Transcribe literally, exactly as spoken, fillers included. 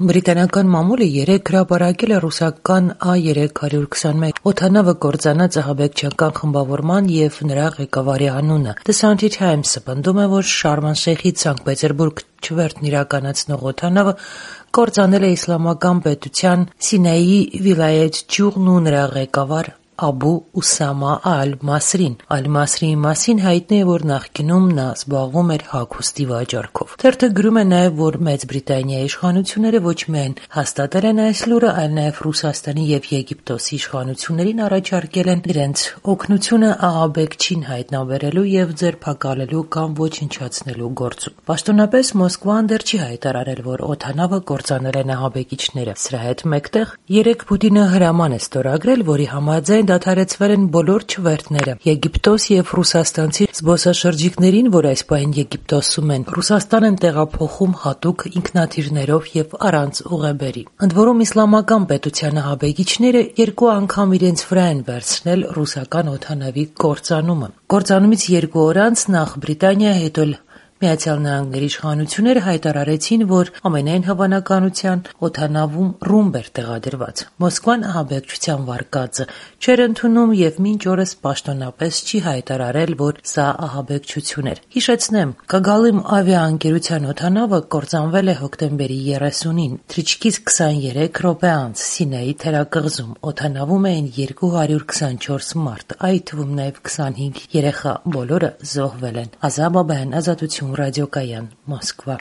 Բրիտանական մամուլը երեկ հրապարակել է ռուսական A երեք հարյուր քսանմեկ օդանավը կործանած ահաբեկչական խմբավորման և նրա ղեկավարի անունը։ The Sunday Times-ը պնդում է, որ Շարմ el-Շեյխից Սանկտ Պետերբուրգ չվերթն իրականացնող օդանավը կործանել է իսլամական պետության Սինայի վիլայեթ գյուղն ու նրա ղեկավար Աբու Ուսամա Ալ-Մասրին։ Ալ-Մասրիի մասին հայտնի է, որ նախկինում նա զբաղվում էր հագուստի վաճառքով։ Թերթը գրում է նաև, որ Մեծ Բրիտանիայի իշխանությունները ոչ միայն հաստատել են այս լուրը, այլ նաև Ռուսաստանի և Եգիպտոսի իշխանություններին առաջարկել են իրենց օգնությունը ահաբեկչին հայտնաբերելու և ձերբակալելու կամ ոչնչացնելու գործում։ Պաշտոնապես Մոսկվան դեռ չի հայտարարել, որ օդանավը կործանել են ահաբեկիչները։ Սրա հետ մեկտեղ երեկ Պուտինը հրաման է ստորագրել, որի համաձայն դադարեցվել են բոլոր չվերթները Եգիպտոս և ռուսաստանցի զբոսաշրջիկներին, որ այս պահին Եգիպտոսում են, Ռուսաստան են տեղափոխում հատուկ ինքնաթիռներով և առանց ուղեբերի։ Ընդ որում, իսլամական պետության ահաբեկիչները երկու անգամ իրենց վրա են վերցնել ռուսական օդանավի կործանումը։ Կործանումից երկու օր անց նախ Բրիտանիա, հետո էլ Միացյալ Նահանգների իշխանությունները հայտարարեցին, որ ամենայն հավանականության օդանավում ռումբ էր տեղադրված։ Մոսկվան ահաբեկչության վարկածը չէր ընդունում և մինչ օրս պաշտոնապես չի հայտարարել, որ սա ահաբեկչություն էր։ Հիշեցնեմ, Կագալիմ ավիաընկերության օդանավը կործանվել է հոկտեմբերի երեսունին, թռիչքից քսաներեք րոպե անց Սինայի թերակղզում։ Օդանավում էին երկու հարյուր քսանչորս մարդ, այդ թվում նաև քսանհինգ երեխա, բոլորը զոհվել են։ Ազա Բաբայան, Ազատություն ռադիոկայան, Մոսկվա։